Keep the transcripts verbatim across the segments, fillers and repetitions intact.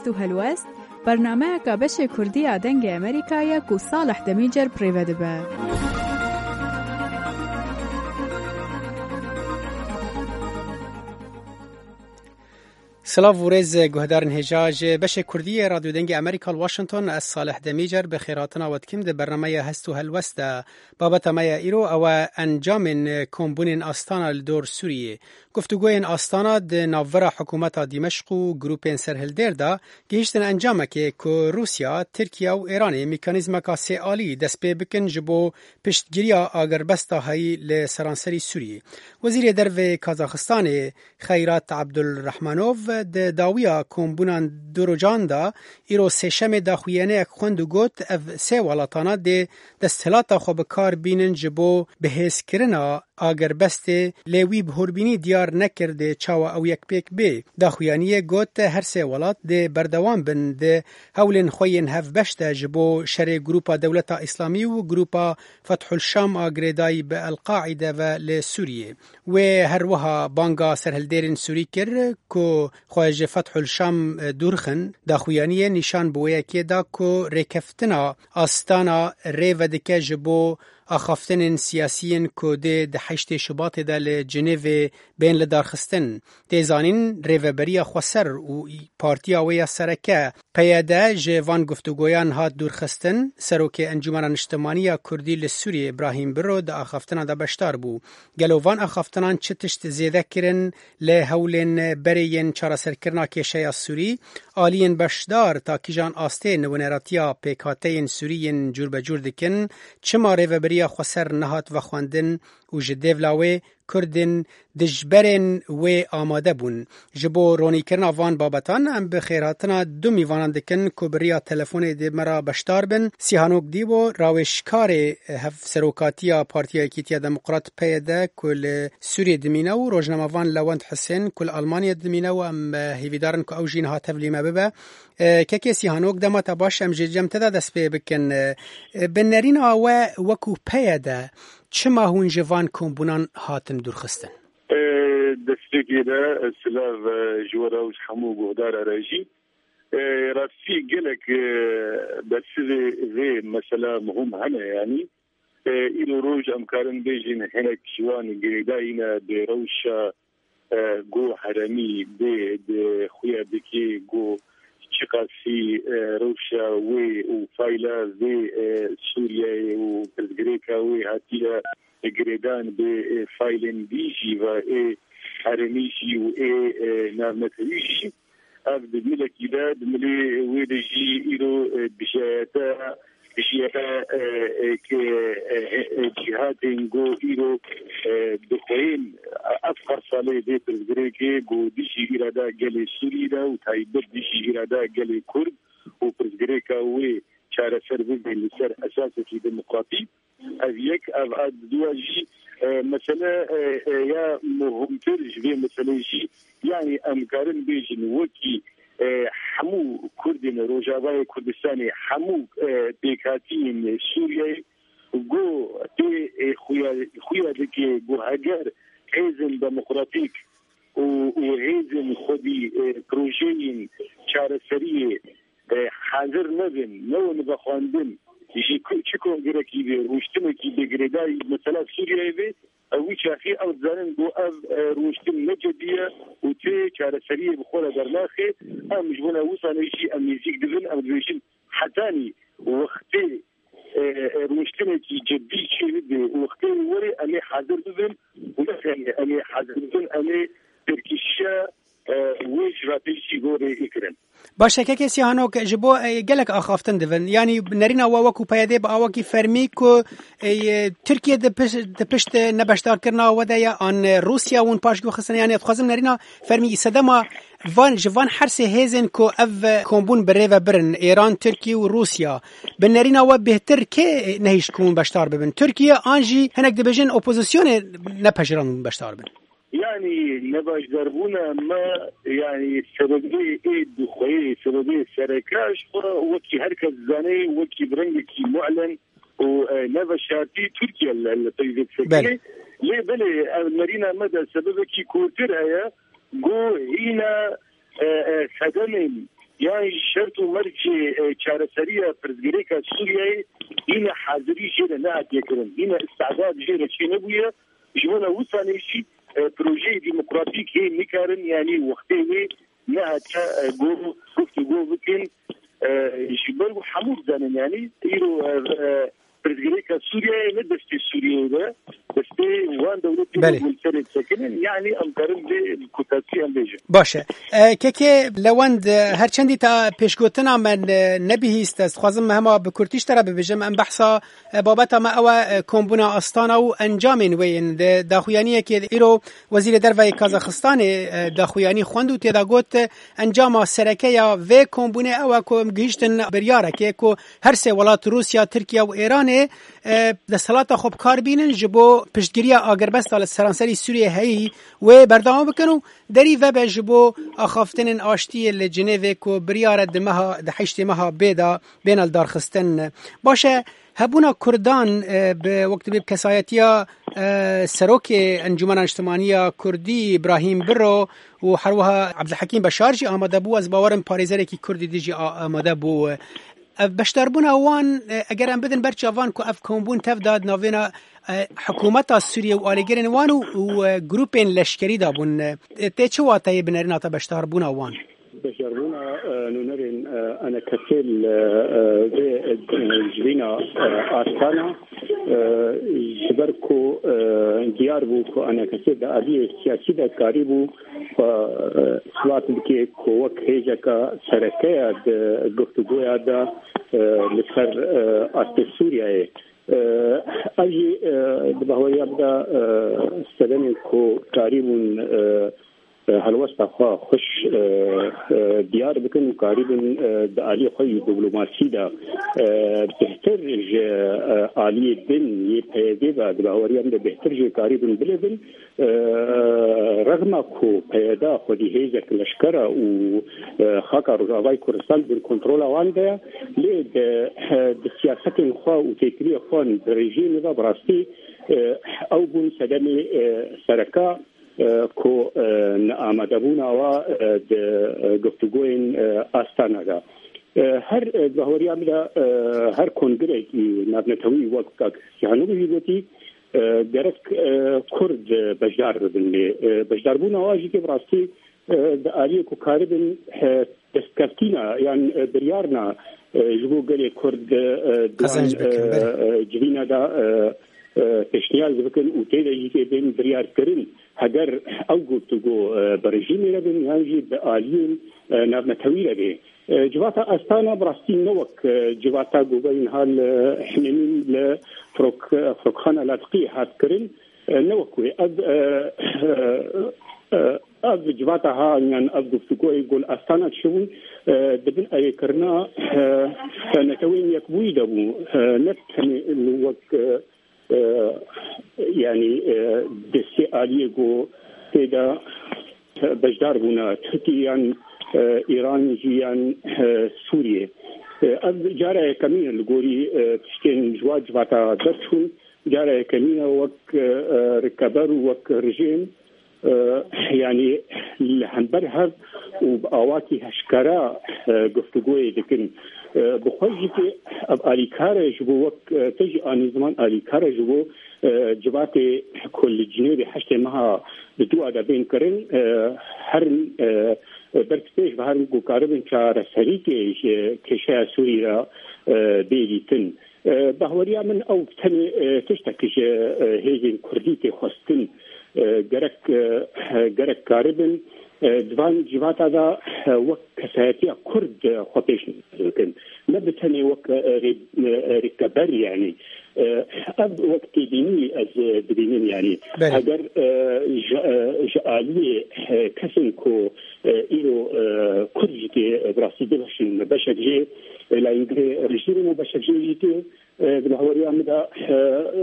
Hest û helwest, bernameyeka beşê Kurdî ya Dengê Amerîka ye ku Salih Demîcer bi rê ve dibe. Silav û rêz guhdarên hêja ji beşê Kurdî yê Radyo Dengê Amerîka li Washington, ez Salih Demîcer bi xêrhatina we dikim di bernameya Hest û Helwest de. Babeta me ya îro ew e encamên kombûnên Astana li dor Sûriyê. Guftûgoyên Astana di navbera hikûmeta Dîmeşq û grûpên serhildêr de gihîştin encamekê ku Rûsya, Tirkiye û Îranê mekanîzmeka sêalî dest pê bikin ji bo piştgiriya agirbesta heyî li seranserî Sûriyê. Wezîrê Dervê Kazaxistanê Xeyrat Abdulrahmanov di dawiya kombûnan du rojan de îro sêşemê daxuyaniyek xwend û got, ev sê welatana dê desthilata xwe bi kar bînin ji bo bihêzkirina agirbestê, lê wî bi hûrbînî diyar nekir dê çawa ew yek pêk bê. Daxuyaniyê got, her sê welat dê berdewam bin di hewlên xwe yên hevbeş de ji bo şerê Grûpa Dewleta Îslamî û Grûpa Fethul Şam a girêdayî bi El-Qaîde ve li Sûriyê. Wê her wiha banga serhildêrên Sûrî kir ku xwe ji Fethul Şam dûr xin. Daxuyaniyê nîşan bi wê yekê da ku rêkeftina Astana rê vedike ji bo axaftinên siyasiyên ku dê di heştê Şubatê de li Cinêvê bên lidarxistin. Tê zanîn, Rêveberiya Xweser û Partiya wê ya sereke, P Y D, ji van guftûgoyan hat dûrxistin. Serokê Encûmena Niştimanî ya Kurdî li Sûriyê, Îbrahîm Biro, di axaftina de beşdar bû. Gelo van axaftinan çi tişt zêde kirin li hewlên berê yên çareserkirina kêşeya Sûrî? Aliyên beşdar ta kîjan astê nûneratiya pêkhateyên Sûrî yên cûrbecûr dikin? Çima Rêveberiya Xweser nehat vexwendin û ji dêvla wê Kurdên dijberên wê amade bûn? Ji bo ronîkirina van babetan, em bi xêrhatina du mîvanan dikin ku bi riya telefonê dê me re beşdar bin. Sîhanok Dîbo, rawêjkarê Hevserokatiya Partiya Yekîtiya Demokrat, P Y D, ku li Sûriyê dimîne, û rojnamevan Lewent Hisên, ku li Almanyê dimîne, û em, e, hêvîdar in ku ew jî niha tevlî me bibe. E, kekê Sîhanok, dema te baş, em jî cem te de dest pê bikin. E, bi nerîna we wekû P Y D, çima hûn ji van kombûnan hatin dûrxistin? E, destpêkê de, e, silav, e, ji we re û ji hemû guhdara re jî. E, rastî gelek, e, bersivê vê mesela muhim hene, yanî. E, îro roj em karin bêjin hinek ji wan girêdayî ne bi rewşa, e, go heremî bê di xuya dikê go çiqasî, e, rewşa wê û fayla vê, e, Sûriyeyê û pirsgirêka wê hatiye girêdan bi, e, faylên dî jî ve ê herêmî jî û ê, e, navnetewî jî. Ev di milekî de, di milê wê de jî îro, e, dijayete, dijayete, e, e, ke, e, e, cîhatên go îro, e, dixweyên, e, ev her salê vê pirsgirêkê go dijî îrada gelê Sûrî de û taybet dijî îrada gelê Kurd û pirsgirêka wê çareser bibin li ser esasekî demokratîk. Ev yek, ev a duwa jî, e, mesele, e, e, ya muhimtir ji vê meselê jî, yanî em karin bêjin wekî, e, hemû Kurdên Rojavayê Kurdistanê, hemû, e, pêkhatiyên Sûriyeyê, go tê, e, xuya, xuya dike, go heger hêzên demokratîk û, û hêzên xwedî, e, projeyên çareseriyê, e, hazir nebin, newin vexwendin, ji ku-, çi kongirekî vê, rûştinekî bê girêdayî mesela Sûriyeyê vê, ew wî çaxî ew dizanin ku ev, e, rûştin ne cedî ye û tê çareseriyê bi xwe re dernaxe. Em ji bona wisanê jî em nêzîk dibin, em dibêjin hetanî wextê, e, e, rûştinekî cedî çêbibe, wextê were em ê hazir bibin û ne tenê em ê hazir bibin, em ê pêkişiya, e, wê ji ve pêşî gorê kirin. Baş e, kekê Sîhanok, ji bo, e, gelek axaftin dibin. Yanî nerîna we wekû P Y D bi awakî fermî ku, e, Tirkiye di piş-, di pişt nebeşdarkirina we de ye, an, e, Rûsya hûn paşguh xistine, yanî ez dixwazim nerîna fermî sedema van, ji van her sê hêzên ku ev, e, kombûn bi rê ve birin, Îran, Tirkiye û Rûsya, bi nerîna we bêhtir kê nehişt ku hûn beşdar bibin? Tirkiye an jî hinek dibêjin opozisyonê nepejirand hûn beşdar bin? Yanî nebaşdarbûna me, yanî sebebê ê dixweyê, sebebê sereke ji xwe wekî her kes dizane, wekî bi rengekî mu'len û, e, ne veşartî Tirkiye li, li peyvê disekine. Belê. Lê belê ev nerîna me de sebebekî kûrtir heye, ku hîna, e, e, sedemên yan jî şert û mercê, e, çareseriya pirsgirêka Sûriyeyê hîne hazirî jê re nehatiye kirin, hîne îstidad jê re çênebûye. Ji bona wisanê jî, e, projeyê demokratîk hê nikarin, yanî wextê wê nehatiye, e, go-, guftûgo bikin. E, ji ber ku hemû dizanin, yanî îro, e, e, pirsgirêka Sûriyeyê ne destê Sûriyeyê de, destê wan dewletê Belê. Ku li serê disekinin, yanî em karin vê kotasî em bêjin. Baş e. E, kekê Lewend, e, her çendî te pêşgotina me ne-, nebihîst, ez dixwazim me hema bi kurtî ji te re bibêjim. Em behsa, e, babeta me ew e, e, kombûna Astana û encamên wê yên. Di daxuyaniyekê îro Wezîrê Derve yê Kazaxistanê, e, daxuyanî xwend û tê de got, e, encama sereke ya vê kombûnê ew e ku em gihîştin biryarekê ku her sê welat Rûsya, Tirkiye û Êranê, e, desthilata xwe bi kar bînin ji bo piştgiriya agirbesta li seranserî Sûriyê heyî wê berdewam bikin û derî vebe ji bo axaftinên aştiyê li Cinêvê ku biryar e di meha, di heştê meha bê de bêne lidarxistin. Baş e, hebûna Kurdan, e, bi, wek dibê bi kesayetiya, e, serokê Encûmena Niştimaniya Kurdî Îbrahîm Biro û herwiha Ebdulhekîm Beşar jî amade bû. Ez bawerim parêzerekî Kurdî dî jî a-, amade bû. Ev beşdarbûna wan, e, eger em bidin ber çavan ku ev kombûn tev da di navêna, e, hikûmeta Sûriyê û alîgirên wan û, û, e, grûpên leşkerî de bûn. E, tê çi wateyê binerîna te beşdarbûna wan? Beşdarbûna, e, nûnerên, e, enekesê li, e, vê, e, civîna, e, Astana, e, ji ber ku, e, diyar bû ku enekesê di aliyê siyasî de karîbû xwe, e, isbat bike ku wek hêzeka sereke ya di guftûgoya de, e, li ser, e, astê Sûriyeyê. E, ev jî, e, di bahweriya min de, e, sedemên ku karîbûn, e, e, helwesta xwe xweş, e, e, diyar bikin û karîbin, e, di aliyê xwe yî diplomasî de, e, bêhtir ji, e, aliyê din yê P Y D ve di bahweriya min de bêhtir jê karîbin bilêvin. E, rexma ku P Y D xwedî hêzek leşker e û, e, xaka Rojavayê Kurdistan bin kontrola wan de ye, lê di, e, di siyasetên xwe û têkiliyê xwe di rejîmê de bi rastî, e, ew bûn sedemê, e, sereke, e, ku, e, neamadebûna wa, e, di, e, guftûgoyên, e, Astana de. E, her, e, di bahweriya min de, e, her kongrekî navnetewî wek kak Sîhanoglu jî gotî, e, gerek, e, Kurd, e, beşdar bibin lê, e, beşdarbûna wa jî tê bi rastî, e, di aliyê ku karibin, e, destkeftîna yan, e, biryarna, e, ji bo gelê Kurd, e, di wan, Qezenc bikin, e, belê. E, civîna de, e, e, pêşniyaz bikin û tê de jî tê bên biryarkirin. Heger ew guftûgo, e, bi rejîmê re bin yan jî bi aliyên, e, navnetewî re bê. E, civata Astana bi rastî ne wek, e, civata ku veyên hal, e, Himênî li firok-, firokxana Latiqiyê hat kirin, e, ne wek wê. Ev, e, e, e, ev civata ha, yan ev guftûgoyê ku li Astana dişibûn, e, di bin erêkirina, e, e, Netewên Yekbûyî de bû. E, ne tenê wek, e, e, yanî, e, destê aliyê ku tê de beşdar bûne, Tirkî yan, e, Îran jî yan, e, Sûriyê. E, ev cara yekemîn e li gorî, e, tiştên ji wa civata derçûn, cara yekemîn e wek, e, e, rikeber û wek rejîm, e, yanî li hember hev û bi awakî heşkera, e, guftûgoyê dikin. E, bi xwe jî tê ev alîkar e ji bo wek, e, te jî anî ziman alîkar e ji bo, e, civatê ku li Cinêvê heştê meha bi dua de bên kirin, e, herin, e, ber bi pêş ve herin ku karibin çareserîkê ji kêşeya Sûrî re, e, bê dîtin. E, bahweriya min ew tenê, e, tiştek ji, e, hêzên Kurdî tê xwestin. E, gerek, e, gerek karibin, e, di van civata de, e, wek kesayetiya Kurd, e, xwe pêş bikin. Ne bi tenê wek, e, rê-, e, rêkeber yanî. E, ev wek têbînî ez, e, dibînim yanî. Belê. Heger, e, ji, e, ji aliyê, e, kesên ku, e, îro, e, Kurd jî tê, e, bi rastî dibeşin, beşek jê, e, layîngirê rejîmê û beşek jê jî tê, e, di bahweriya min de, e, e,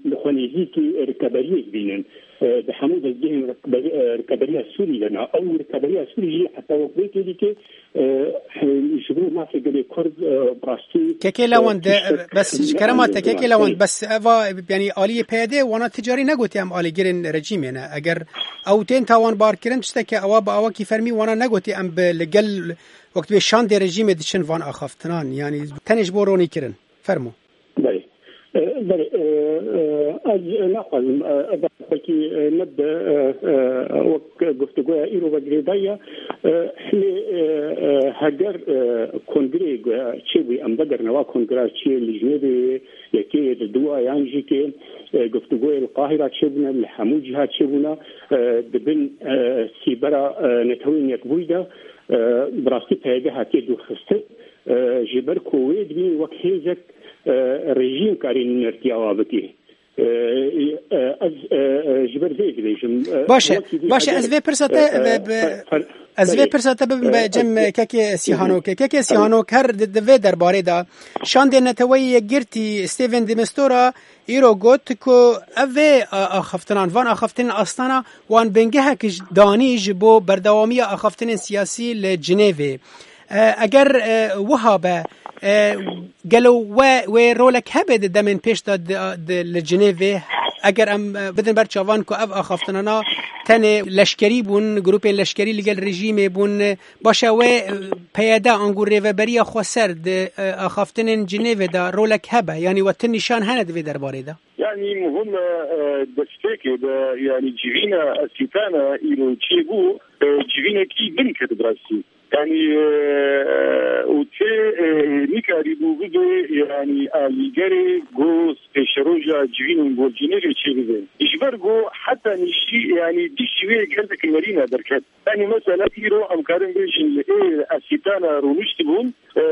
li xwe nêzîkî rikeberiyê dibînin. E, di hemû dezgehên rikeberi-, e, rikeberiya Sûrî de ne. Ew rikeberiya Sûrî jî heta wek vê têdî tê, e, e, ji bo mafê gelê Kurd, e, bi rastî, Kekê e, Lewend, e, tiştek bes ji kerema te, Kekê Lewend, bes eva, yanî aliyê P Y D wana ti carî negotiye em alîgirên rejîmê ne. Eger ew tên tawanbarkirin, tiştekî ewa bi awakî fermî wana negotî em bi li gel wek dibê şandê rejîmê diçin van axaftinan, yanî tenê ji bo ronîkirin. Fermo. Belê. E, belê, e, e, ez naxwazim, e, ev belkî, e, ne bi, e, e, wek guftûgoya îro ve girêdayî ye. E, lê, e, e, heger, e, kongreyê, e, çêbûyî, em vegerine wa kongra çiyê li Jinevê yekê, li dû a, yan jî kê, e, guftûgoyê li Qahîra çêbûne, li hemû cîha çêbûne, e, di bin, e, sîbera, e, Neteweyên Yekbûyî de, e, bi rastî P Y D hatiye dûrxistin. E, ji ber ku wê dibînin wek hêzek, e, rejîm karî nûnertiya wa bikî. E, e, ez, e, e, ji ber vê dibêjim. E, Baş e, wekî dî baş e, heger, ez vê pirsa te e, e, be, be, fer-, fer-, ez vê ferê, pirsa te bibim e, be cem ez, kekê Hı hı. Sîhanokê. Kekê Tabii. Sîhanok her di, di vê derbarê de şandê Neteweyê Yekgirtî Stephen de Mistura îro got ku ev vê, e, axaftinan, van axaftinên astana wan bingehek ji danî ji bo berdewamiya axaftinên siyasî li Cinêvê. E, eger, e, wiha be, e, gelo we, wê rolek hebe di demên pêş de di, di, li Cinêvê? Eger em, e, bidin ber çavan ku ev axaftinana tenê leşkerî bûn, grûpên leşkerî li gel rejîmê bûn, e, baş e wê, e, P Y D ango Rêveberiya Xweser di, e, axaftinên Cinêvê de rolek hebe? Yanî we tu nîşan hene di vê derbarê de? Yanî muhim e, e, destpêkê de, yanî civîna Esîtana îro çêbû, e, civînekî bin ket bi rastî. Yanî, e, û tê, e, nikarîbû bibe, yanî alîgerê ku pêşeroja civînên gor Cinêvê çêbibe. Ji ber ku heta nîşî, yanî dişî wê gelek nerîna derket. Yanî mesela îro em karin bêjin li ê Esîtana rûniştibûn, e,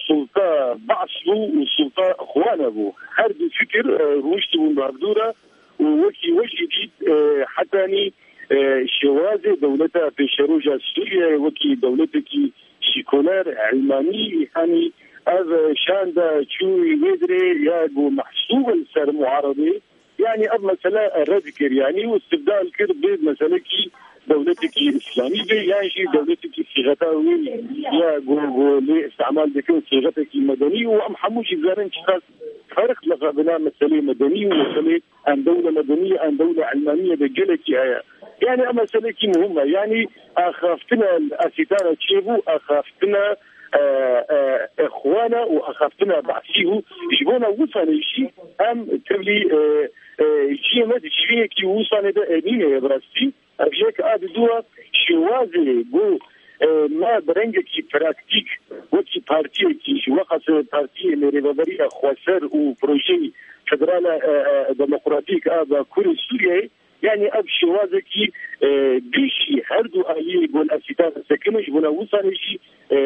sulta Ba's bû û sulta Xwana bû. Her du fikir, e, rûniştibûn bi hevdû re û wekî we jî dît, e, hetanî, e, şêwazê dewleta pêşeroja Sûriyeyê wekî dewletekî sîkoler, elmanî, yanî ev şanda çû wê dirê ya ku mehsûb e li ser muaredê, yanî ev mesele red kir, yanî û istibdal kir bi meselekî dewletekî îslamî be, yan jî dewletekî sîxeta wê ya ku, ku lê îstimal dikin sîxetekî medenî û em hemû jî zanin çiqas ferq li xwe bina meselê medenî û meselê em dewle medenî, em dewle elmanî ye de gelekî heye. Yanî ev meselekî muhim e. Yanî axaftina Esîtana çêbû, axaftina, e, e, Îxwana û axaftina Basî bû. Ji bona wisanê jî em tevlî, e, e, ciyê me di civînekî wisanê de emîne ye bi rastî. Ev yek a di dû a şêwazê ku, e, me bi rengekî praktîk wekî partiyekî ji weqas partiyê li Rêveberiya Xweser û projeyê federala, e, e, demokratîk a Bakurê Sûriyeyê, yanî ev şêwazekî, e, dijî her du aliyê gol Esîtan sekine ji bona wisanê jî, e,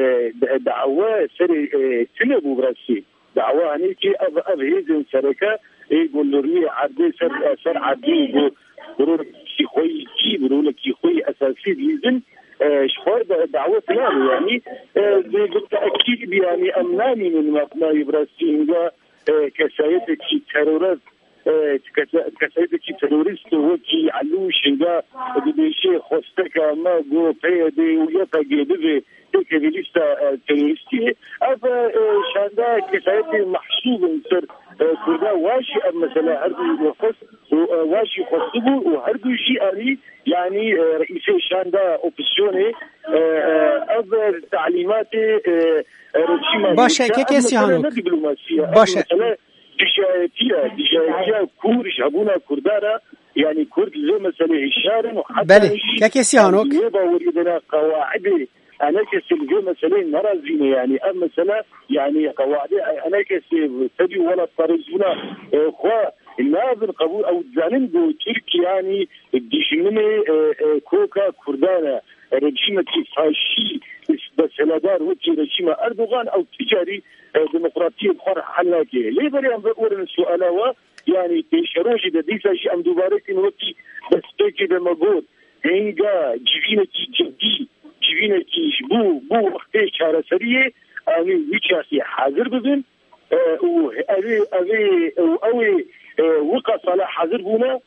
da-, dawe serê, e, tune bû bi rastî. Dawa hanê ki ev, ev hêzên sereke ê ku li rûyê erdê ser, ser erdê û ku bi rolekî xwe yî, bi rolekî xwe yî esasî dihêzin, e, ji xwe da-, dawa tune bû. Yanî, e, bi, bi te'kîd, yanî em namînin mabnayê bi rastî hinga, e, kesayetekî terorist, e, kesa-, kesayetekî terorist wekî Elûş hinga dibêje xwesteka me ku P Y D û Y P G bibe têkevî lîsta, e, terorîstiyê. Ev, e, şanda kesayetê mehsûb in ser, e, Kurda. Wa jî ev mesele her du xwest û, e, wa jî xwestibû û her du jî anî, yanî, e, reîsê şanda opozîsyonê, e, e, ev talîmatê, e, e, rejîma Baş e, Amerîka, kekê ev mesele Sîhanok. Ne dîplomasiye, ev Baş e. Mesele dijayetiya, dijayetiya Kurd ji hebûna Kurda re, yanî Kurd li vê meselê hişyar in û heta Belê, jî kekê Sîhanok. Wê baweriyê de ne qewaidê enekesê li vê meseleyê nerazîne, yanî ev mesele, yanî qewaidê enekesê tevî welatparêzbûna, e, xwe nabin qebûl. Ew dizanin ku Tirkiye, yanî dijminê, e, e, koka Kurdan e. Rejîmekî faşî, desthilatdar wekî rejîma Erdogan, ew ti carî, e, demokratiyê bi xwe re hel nake. Lê berê em vegurin suala we, yanî pêşerojê de dîsa jî em dubare dikin wekî destpêkê de me got, hinga civînekî cidî, civînekî ji bo, bo wextê çareseriyê, em ê wî çaxî hazir bibin, e, û ev ê, ev ê, û ew ê, e, wika sala hazir bûne,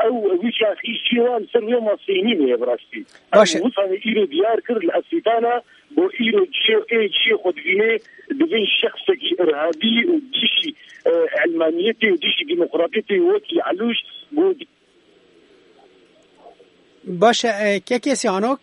ew wî çaxî jî wan ser wê maseyî nîne ye bi rastî. Baş e. Ew wisanê îro diyar kir li Esîtana, bo îro cihê, ê cihê xwe dibîne, dibin şexsekî irhabî û dijî, e, elmaniyetê û dijî demokratiyetê wekî Elûş got. Baş e, e, Kekê Sîhanok,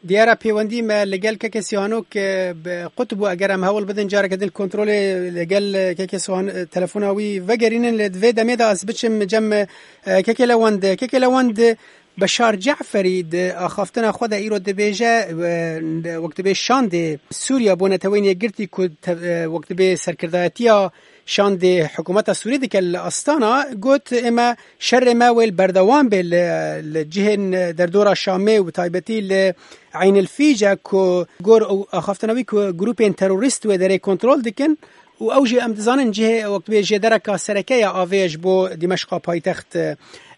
diyara pêwendî me li gel Kekê Sîhanok, e, bi qut bû. Eger em hewl bidin careke din kontrolê li gel, e, Kekê Sîhan-, e, telefona wî vegerînin, lê di vê demê de ez biçim cem, e, Kekê Lewend. Kekê Lewend, Beşar Ceferî di axaftina xwe de îro dibêje, e, wek dibê şandê Sûriya bo Neteweyên Yekgirtî ku te-, e, wek dibê serkirdayetiya şandê hikûmeta Sûrî dike li Astana, got, ême şerê me wê li berdewam bê li, li cihên derdora Şamê û bi taybetî li Eyn el Fîce ku gor ew axaftina wî ku grûpên terorîst wê derê kontrol dikin û ew jî em dizanin cihê wek dibê jêdereka sereke ya avê ye ji bo Dîmeşqa paytext.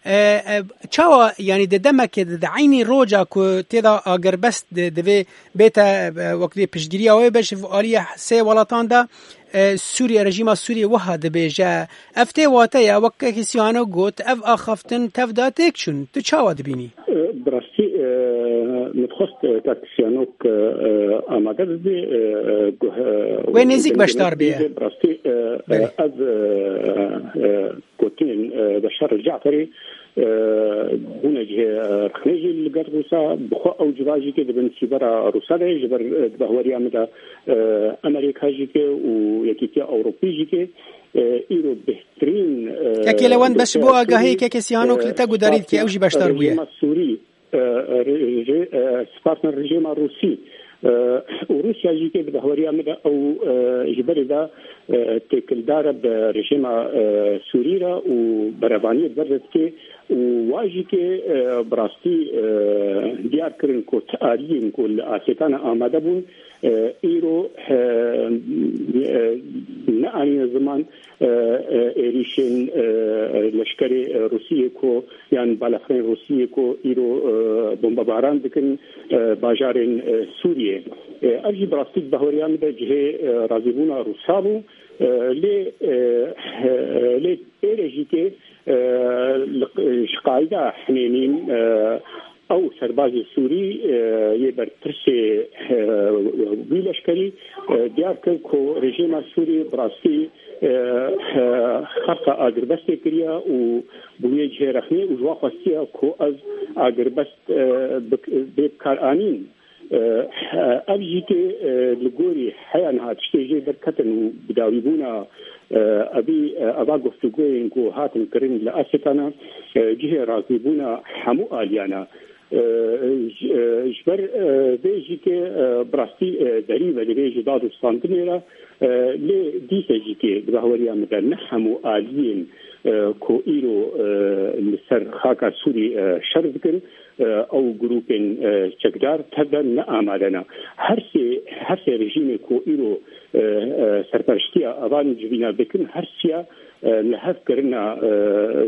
E, e, çawa, yanî di demekê de, di eynî roja ku tê de agirbest di-, divê bête, e, wek dibê piştgiriya wê be ji aliyê sê welatan de, e, Sûriye, rejîma Sûriyê wiha dibêje. Ev tê wateya, wek Kekê Sîhano got, ev axaftin tev de têk çûn. Tu çawa dibînî? E, bi rastî, e, min dixwest, e, Kak Sîhanok, e, e, amade bibe, e, e, guh-, e, Wê nêzîk beşdar bê. Bi rastî, e, e, Belê. Ev, e, e, gotinên, e, Beşar Caferî, e, bûne cihê, e, rexnê jî li gel Rûsa. Bi xwe ew civa jî ke di bin sîbera Rûsa de, ji ber, e, di bahweriya min de, e, Amerîka jî ke û Yekîtiya Ewropî jî ke, e, îro bêhtirîn, e, Kekê Lewend, bes ji bo agahiyê, Kekê Sîhanok li te gudarî dike, ew jî beşdar bûye. Rejîma Sûrî, e, re-, re-, e, spartner rejîma Rûsî, e, û Rûsya jî ke di bahweriya min de ew, e, ji berê de, e, têkildar e bi rejîma, e, Sûrî re û berevaniyê bi ber de dike û wa jî ke, e, bi rastî, e, diyar kirin ku ti aliyên ku li Asêtana amade bûn, e, îro, e, e, neanîne ziman, e, e, êrîşên, e, leşkerê, e, Rûsiyê ku yan balafirên Rûsiyê ku îro, e, bombebaran dikin, e, bajarên, e, Sûriyê. E, ev jî bi rastî di bahweriya min de cihê, e, razîbûna Rûsa bû. E, lê, e, e, lê êrê jî ke, e, li, ji qayda hinênîn, e, ew serbazê Sûrî, e, yê berpirsê, e, wî leşkerî, e, diyar kir ku rejîma Sûrî bi rastî, e, e, xerqa agirbestê kiriye û bûye cihê rexnê û ji wan xwestiye ku ev agirbest, e, bik-, bê bikaranîn. E, ev jî ke, e, li gorî heya niha tiştê jê derketin û bidawîbûna, e, evî, e, eva guftûgoyên ku hatin kirin li Asêtana, e, cihê razîbûna hemû aliyana. E, ji, e, ji ber, e, vê jî ke, e, bi rastî, e, derî ve divê ji dad û standinê re, e, lê dîse jî ke di bahweriya min de ne hemû aliyên, e, ku îro, e, li ser xaka Sûrî, e, şer dikin, e, ew grûpên, e, çekdar tev de ne amade ne. Her sê, her sê rejîmê ku îro, e, e, serpereştiya evan civîna dikin, her siya, e, li hev kirina, e,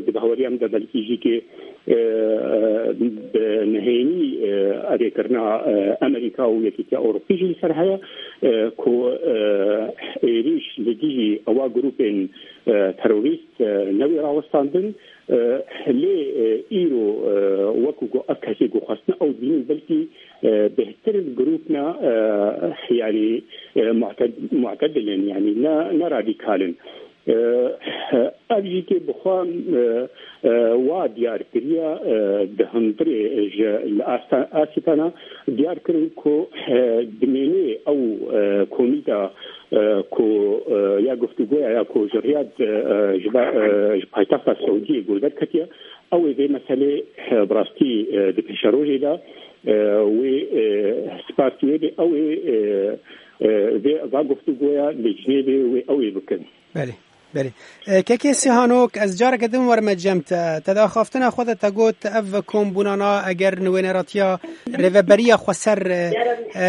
di bahweriya min de belkî jî ke, e, e, bi nehênî, e, erêkirina, e, Amerîka û Yekîtiya Ewropî jî li ser heye, e, ku, e, êrîş li dijî ewa grûpên, e, terorîst, e, newê rawestandin. E, lê, e, îro, e, wekû ku ev kesê ku xwestine ew dibînin, belkî, e, bêhtir grûp ne, e, yanî, e, mu'ted-, mu'tedil in, yanî ne, ne radîkal in. E, ev jî ke bi xwe, e, e, wa diyar kiriye, e, di hundirê ji li Asta-, Asîtana diyar kirin ku, e, dimênê ew, e, komîta e, ku, e, ya guftûgoya ya ku ji Riyad, e, e, ji ba-, e, ji paytexta Seûdiyê guhdarketiye, ew ê vê meselê, e, bi rastî, e, di pêşerojê de, e, wê, e, spartiyê de ew ê, e, e, vê, va guftûgoya li Cinêvê wê ew ê bikin. Belê, belê. E, Kekê Sîhanok, ez careke din werme cem te. Te di axaftina xwe de te got, ev kombûnana eger nûêneratiya rêveberiya xweser, e, e,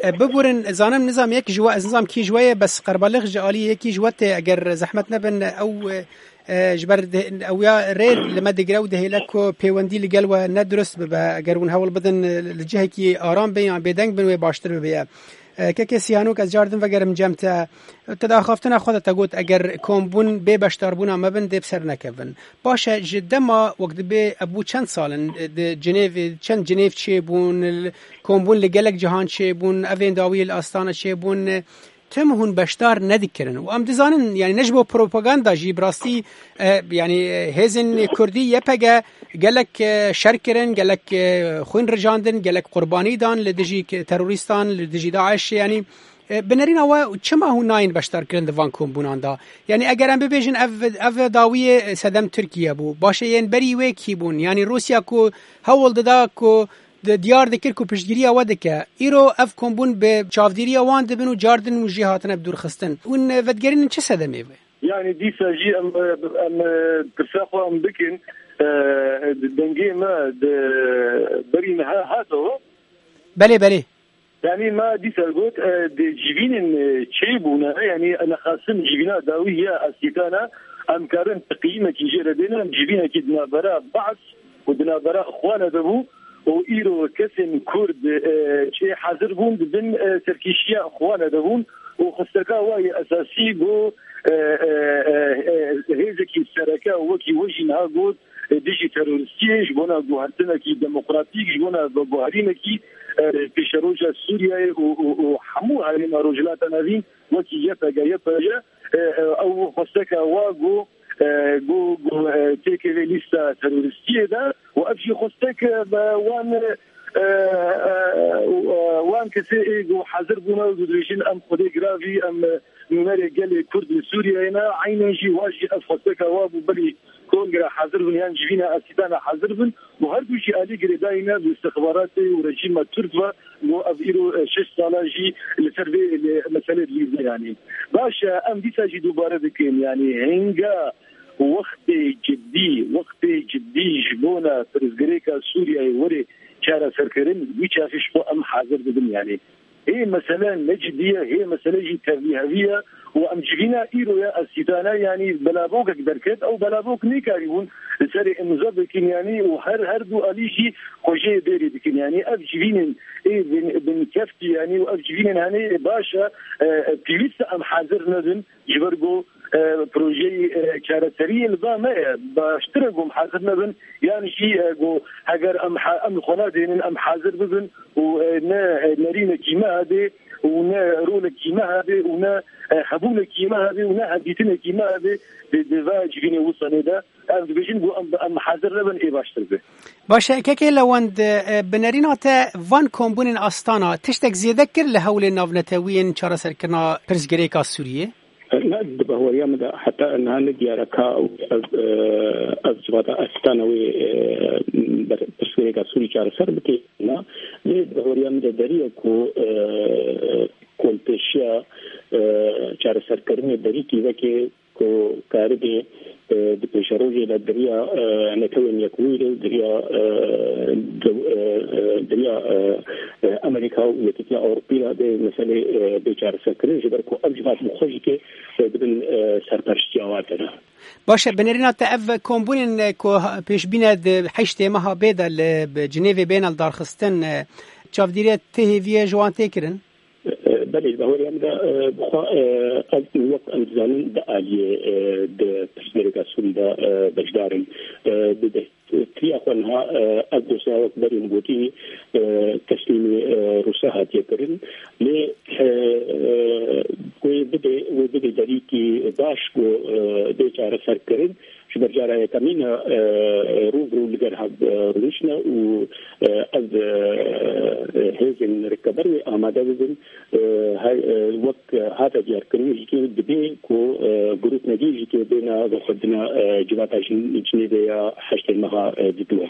e, biburin, zanim nizam yek ji we, ez nizam kî ji we ye, bes qerbalix ji alî yekî ji we tê, eger zehmet nebin, ew, e, e, ji ber de-, ew ya rê li me digire û dihêle ku pêwendî li gel we ne dirust bibe, eger hûn hewl bidin, e, li cihekî aram bin yan bêdeng bin wê baştir bibe ye. E, Kekê Sîhanok, ez car din vegerim cem te. Te di axaftina xwe de te got, eger kombûn bê beşdarbûna me bin, dê bi ser nekevin. Baş e, ji dema wek dibê ev bû çend sal in, e, di Cinêvê, çend Cinêv çêbûn, l-, kombûn li gelek cihan çêbûn, evên dawiyê li Astana çêbûn, e, tim hûn beşdar nedikirin. Û em dizanin, yani ne ji bo propaganda jî, bi rastî, e, yani, e, hêzên Kurdî Y P G gelek, e, şer kirin, gelek, e, xwîn rijandin, gelek qurbanî dan li dijî k-, terorîstan, li dijî DAIŞ, yani, e, bi nerîna we çima hûn nayên beşdarkirin di van kombûnan de? Yani eger em bibêjin ev, ev dawiyê sedem Tirkiye bû. Baş e, yên berî wê kî bûn? Yani Rûsya ku hewl dida ku di-, diyar dikir ku piştgiriya we dike. Îro ev kombûn bi çavdîriya wan dibin û car din û jê hatine bi dûrxistin. Hûn vedigerînin çi sedemê be? Yani dîsa jî em, em, pirsa xwe em bikin, e, dengê me di berî niha hatowe. Belê, belê. Yani me dîsa got, e, di civînên, e, çêbûne, yani nexasim civîna dawî ya Asîtana, em karin teqîmekî jê re bêne, em civînekî di navbera Ba's û di navbera Xwana de bû û îro kesên Kurd, e, çê hazir bûn, di bin, e, serkêşiya Xwana de bûn û xwesteka wa yê esasî bû, e, e, e, e, hêzekî sereke wekî we jî niha got, e, dijî terorîstiyê, ji bona guhertinekî demokratîk, ji bona veguherînekî, e, pêşeroja Sûriyeyê û, û, û hemû herêma Rojhilata Navîn wekî Y P G, Y P J, e, e, ew xwesteke wa got, e, got, got, e, têkevê lîsta terorîstiyê de û ev jî xwestek, e, be wan, e, e, e, wan kesê ê got hazir bûne û dibêjin em xwedê giravî, em, e, nûnerê gelê Kurd li Sûriyeyê ne. Eynen jî wa jî ev xwesteka wa bû berî Kongra hazir bin yan civîna Asîtana hazir bin û her du jî alî girêdayî ne bi istixbaratê û rejîma Tirk ve. Got ev îro, e, şeş sala jî li ser vê, li meselê dilîze yanî. Baş e, em dîsa jî dubare dikin yanî hinga wextê cidî, wextê cidî ji bona pirsgirêka Sûriyeyê were çareserkirin, wî çaxî ji xwe em hazir dibin yanî. Hê mesele ne cidî ye, hê mesele jî tevlîhevî ye û em civîna îro ya Asîtana, yanî belavokek derket, ew belavok nêkarîbûn li serê îmza bikin, yanî û her, her du alî jî xwe jê bêrê dikin. Yanî ev civînên ê bin, bin keftî, yanî û ev civînên henê baş e, e, e, pêwîst e em hazir nebin. Ji ber ku, e, projeyê, e, çareseriyê li ba me ye. Baştir e ku em hazir nebin, yan jî, e, ku heger em ha-, em li xwe nadênin, em hazir bibin û, e, ne, e, nerînekî me hebe û ne rolekî me hebe û ne, e, hebûnekî me hebe û ne hevdîtinekî me hebe di, di va civînê wisanê de. Em dibêjin ku em, em hazir nebin, ê baştir be. Baş e, kekê Lewend, e, bi nerîna te van kombûnên Astana tiştek zêde kir li hewlên navnetewî yên çareserkirina pirsgirêka Sûriyê? Ne, di bahweriya min de heta niha ne diyar e ka ev, e, ev civata Astana wê, e, ber-, pirsgirêka Sûrî çareser bike. Na, lê di bahweriya min de derî ye ku, e, kolpêşiya, e, çareserkirinê berîkî veke ku karibê, e, di pêşerojê de di riya, e, Netewên Yekbûyî de, di riya, e, dew-, e, e, di riya, e, e, Amerîka û Yekîtiya Ewropî de bê meselê, e, bê çareserkirin, ji ber ku ev civat bi xwe jî ke, e, dibin, e, serpereştiya wan de ne. Baş e, bi nerîna te ev kombûnên, e, ku ha-, pêşbîne di heştê meha bê de li, bi Cinêvê bêne li darxistin, e, çavdîrê tê hêviyê ji wan tê kirin? E, belê, di hawariya min de, e, bixwe, e, ev wek em dizanin di aliyê, e, di pirsgirêka Sûrî de, e, beşdar in. E, bi destpêkiya xwe niha, e, ev dosya wek berî min gotî, e, teslîmê, e, Rûsa hatiye kirin. Lê, e, e, wê bidê, wê bidê derîkî baş ku, e, bê çareserkirin. Ji ber cara yekemîn e, rû bi rû li gel hev, e, rûniştine û, e, ev, e, hêzên rêveber wê amade bibin. E, her, e, wek hate diyarkirin jî ke dibê ku, e, grûpnegî jî ke bêne vexwendina, e, civata Cin-, Cinêvê ya heştê meha, e, didû.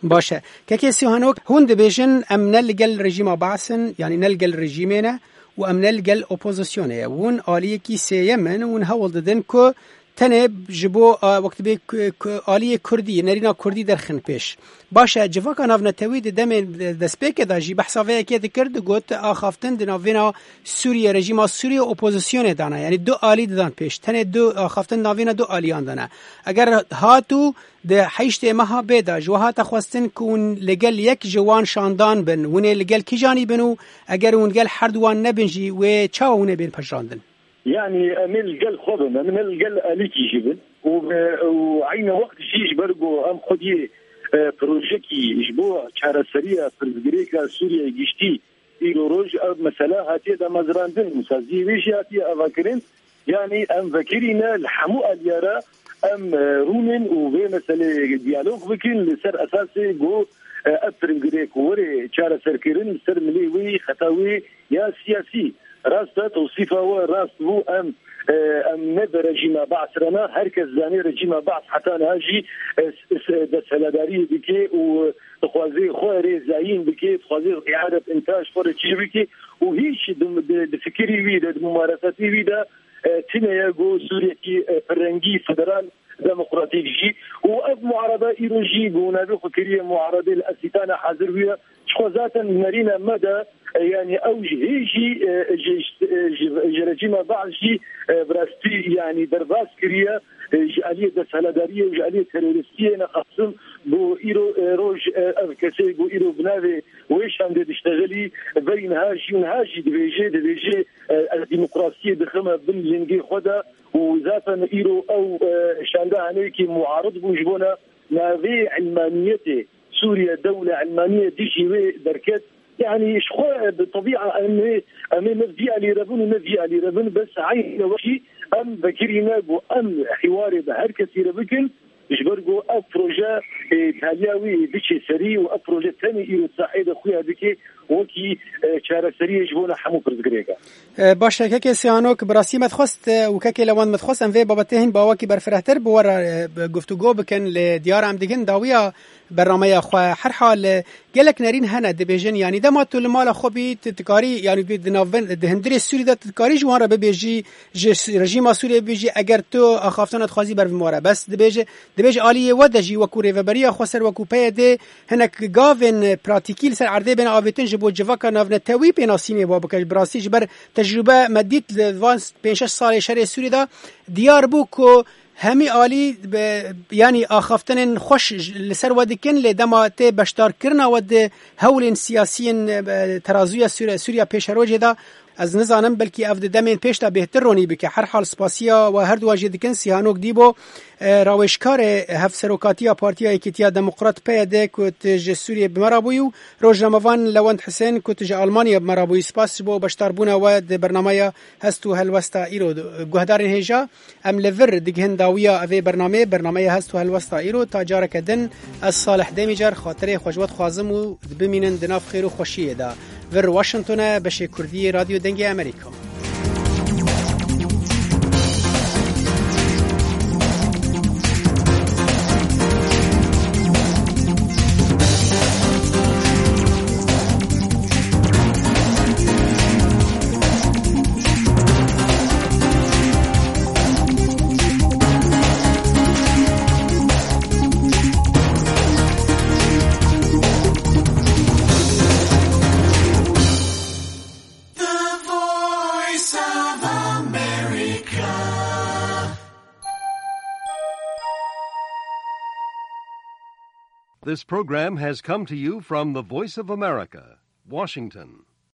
Baş e. Kekê Sîhanok, hûn dibêjin, em ne li gel rejîma Baas in, yanî ne li gel rejîmê ne û em ne li gel opozisyonê ye. Hûn aliyekî sêyem in, hûn hewl didin ku tenê ji bo, a, wek dibê ku, ku aliyê Kurdî, nerîna Kurdî derxin pêş. Baş e, civaka navnetewî di demên destpêkê de jî behsa vê yekê dikir, digot axaftin di navêna Sûriyê, rejîma Sûriyê opozisyonê dana. Yanî du alî didan pêş. Tenê du axaftin navêna du aliyan dana. Eger hat û di heştê meha bê de ji we hate xwestin ku hûn li gel yek ji wan şandan bin, hûn ê li gel kîjanî bin û eger hûn gel her duwan nebin jî, wê çawa hûn ê bên pejirandin? Yanî em ê li gel xwe bin, em ê li gel alîkî jî bin û, û eyne wext jî ji ber ku em xwediyê, e, projekî ji bo çareseriya pirsgirêka Sûriyeyê giştî Îro roj ev mesele hatiye damezrandin û saziyê wê jî hatiye avakirin. Yanî em vekirî ne li hemû aliyara em, e, rûnin û vê meselê diyalog bikin li ser esasê ku, e, ev piringirê ku were çareserkirin li ser milê wê xeta wê ya siyasî. Rast e, tewsîfa we rast bû. Em, e, em ne bi rejîma Baas re ne. Her kes zanê rejîma Baas heta niha jî, e, s-, s-, desthiladariyê dike û dixwaze xwe rê zayîn bike, dixwaze îadet întaj xwe re çê bike û hîç di, di, di fikirî wî de, di mumaresetê wî de, e, tune ye ku Sûriyekî, e, pirrengî, federal, demokratîk jî û ev muarada îro jî ku navê xwe kiriye muaradê li Esîtana hazir bûye. Çixwe zaten nerîna me de, e, yanî ew ji hê jî, e, ji, ji, ji, ji rejîma Baas jî, e, bi rastî yanî derbas kiriye, e, ji aliyê desthiladariyê û ji aliyê teroristiyê nexasim ku îro, e, roj, e, ev kesê ku îro bi navê wê şandê diştexilî, berî niha jî û niha jî dibêje, dibêje, e, ez demokrasiyê dixime bin lingê xwe de û zaten îro ew, e, şande haneyekî muarid bû ji bona navê ilmaniyetê, Sûriye dewle ilmaniye dijî wê derket. Yanî ji xwe bi tebîa em ê, em ê ne vî alî re bin û ne vî alî re bin, bes eynî wextî em vekirî ne ku em hîwarê bi her kesî re bikin, ji ber ku ev proje, e, taliya wî biçe serî û ev proje tenê îro sahê de xuya dike wekî, e, çareseriyê ji bona hemû pirsgirêka. E, baş e, kekê Sîhanok, bi rastî me dixwest, e, û kekê Lewand me dixwest, em vê babetê hin bi awakî berfirehtir bi we re, e, bi guftûgo bikin, lê diyar em digin dawiya bernameya xwe. Her hal, e, gelek nerîn hene dibêjin, yanî dema tu li mala xwe bî, tu dikarî, yanî di, di navben-, di hundirê Sûrî de tu dikarî ji wan re bibêjî, ji s-, rejîma Sûriyê bibêjî, eger tu axaftina dixwazî ber bi me re. Bes dibêje, dibêje aliyê we de jî wekû rêveberiya xweser, wekû P Y D, hinek gavên pratîkî li ser erdê bêne avêtin ji bo civaka navnetewî pênasînê wa bike. Bi rastî ji ber tecrûbe me dît li van pênc şeş salê şerê Sûrî de diyar bû ku hemî alî be, yanî axaftinên xweş ji, li ser we dikin, lê dema tê beşdarkirina we di hewlên siyasiyên, e, terazûya Sûre-, Sûriya pêşerojê de, ez nizanim, belkî ev di demên pêş de bêhtir ronî bike. Her hal spasiya we herduwa jê dikin. Sîhanok Dîbo, e, rawêjkarê Hevserokatiya Partiya Yekîtiya Demokrat P Y D ku tu ji Sûriyê bi me re bûyî û rojnamevan Lewend Hisên ku tu ji Almanyê bi me re bûyî. Spas ji bo beşdarbûna we di bernameya Hest û Helwesta îro. Guhdarên hêja, em li vir digihin dawiya evê bernameyê, bernameya Hest û Helwesta îro. Ta careke din, ez Salih Demîcar xatirê xwe ji we dixwazim û bimînin di nav xêr û xweşiyê de. Vir Washington e, beşê Kurdî yê Radyo Dengê Amerîka. The Voice of America. This program has come to you from the Voice of America, Washington.